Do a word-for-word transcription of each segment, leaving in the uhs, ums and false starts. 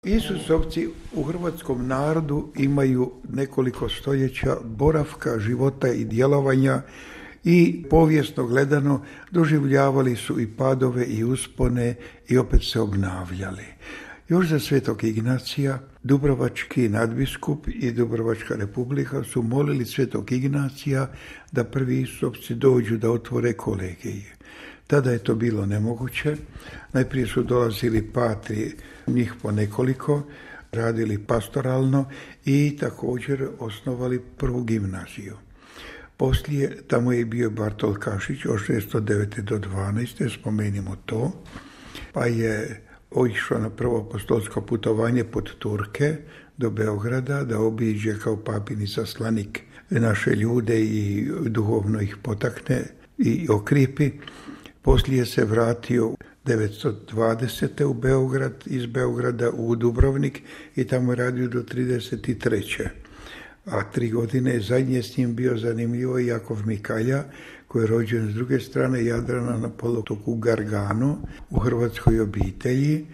Isusovci u hrvatskom narodu imaju nekoliko stoljeća boravka, života i djelovanja i povijesno gledano doživljavali su i padove i uspone i opet se obnavljali. Još za Svetog Ignacija dubrovački nadbiskup i Dubrovačka republika su molili Svetog Ignacija da prvi Isusovci dođu da otvore kolegije. Tada je to bilo nemoguće. Najprije su dolazili patri, njih po nekoliko, radili pastoralno i također osnovali prvu gimnaziju. Poslije tamo je bio Bartol Kašić od šesto devete do dvanaeste, spomenimo to, pa je otišao na prvo apostolsko putovanje pod Turke do Beograda da obiđe kao papin izaslanik naše ljude i duhovno ih potakne i okripi. Poslije se vratio devetsto dvadesete u Beograd, iz Beograda u Dubrovnik i tamo je radio do trideset treće. A tri godine zadnje s njim bio zanimljivo Jakov Mikalja, koji je rođen s druge strane Jadrana na poluotoku Gargano u hrvatskoj obitelji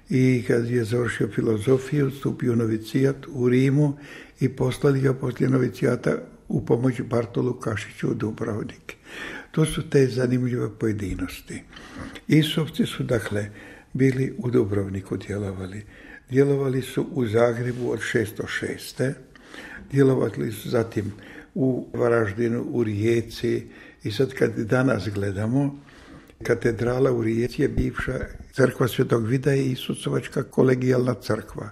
i kad je završio filozofiju, stupio u novicijat u Rimu i poslali ga poslije novicijata u pomoć Bartolu Kašiću u Dubrovnik. To su te zanimljive pojedinosti. Isusovci su dakle bili u Dubrovniku djelovali. Djelovali su u Zagrebu od šesto šeste. Djelovali su zatim u Varaždinu, u Rijeci i sad kad danas gledamo, katedrala u Rijeci je bivša crkva Svetog Vida i Isusovačka kolegijalna crkva.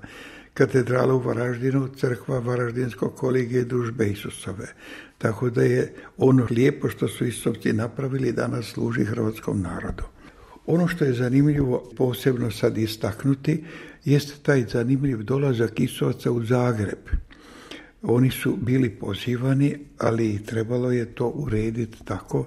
Katedrala u Varaždinu, crkva Varaždinskog kolegije Družbe Isusove. Tako da je ono lijepo što su Isusovci napravili danas služi hrvatskom narodu. Ono što je zanimljivo posebno sad istaknuti jeste taj zanimljiv dolazak Isusovaca u Zagreb. Oni su bili pozivani, ali trebalo je to urediti tako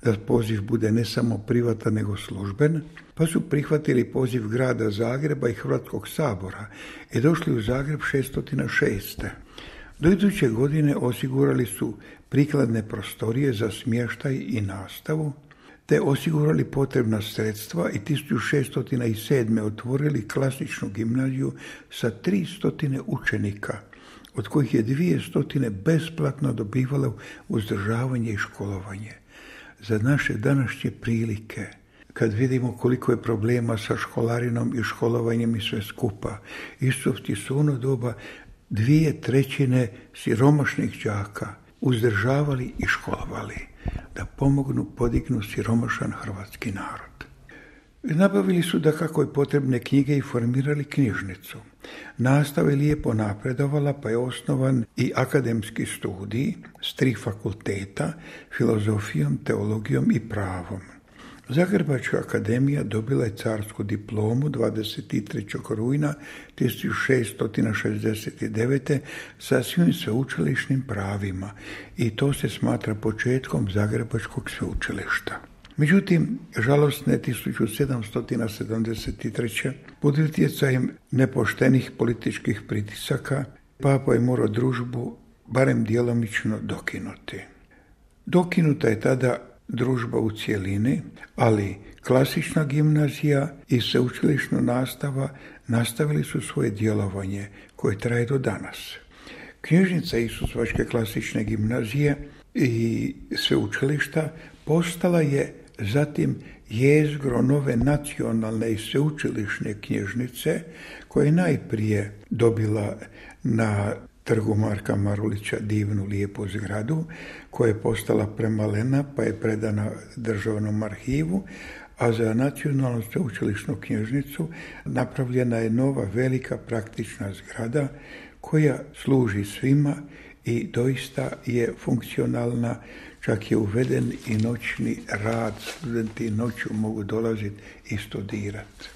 da poziv bude ne samo privatan nego služben, pa su prihvatili poziv grada Zagreba i Hrvatskog sabora i došli u Zagreb šesto šeste. Do iduće godine osigurali su prikladne prostorije za smještaj i nastavu, te osigurali potrebna sredstva i tisuću šesto sedme. otvorili klasičnu gimnaziju sa tristo učenika, od kojih je dvjesto besplatno dobivalo uzdržavanje i školovanje. Za naše današnje prilike, kad vidimo koliko je problema sa školarinom i školovanjem i sve skupa, Isusovci su ono doba dvije trećine siromašnih đaka uzdržavali i školovali da pomognu, podignu siromašan hrvatski narod. Nabavili su da kako je potrebne knjige i formirali knjižnicu. Nastava je lijepo napredovala, pa je osnovan i akademski studij s tri fakulteta, filozofijom, teologijom i pravom. Zagrebačka akademija dobila je carsku diplomu dvadeset trećeg rujna tisuću šesto šezdeset devete. sa svim sveučilišnim pravima i to se smatra početkom Zagrebačkog sveučilišta. Međutim, žalosne tisuću sedamsto sedamdeset treće. pod utjecajem nepoštenih političkih pritisaka, papa je morao družbu barem djelomično dokinuti. Dokinuta je tada družba u cjelini, ali klasična gimnazija i sveučilišna nastava nastavili su svoje djelovanje koje traje do danas. Knjižnica Isusovačke klasične gimnazije i sveučilišta postala je zatim jezgro nove nacionalne i sveučilišne knjižnice koja je najprije dobila na Trgu Marka Marulića divnu lijepu zgradu koja je postala premalena pa je predana državnom arhivu, a za nacionalnu sveučilišnu knjižnicu napravljena je nova velika praktična zgrada koja služi svima i doista je funkcionalna, čak je uveden i noćni rad, studenti noću mogu dolaziti i studirati.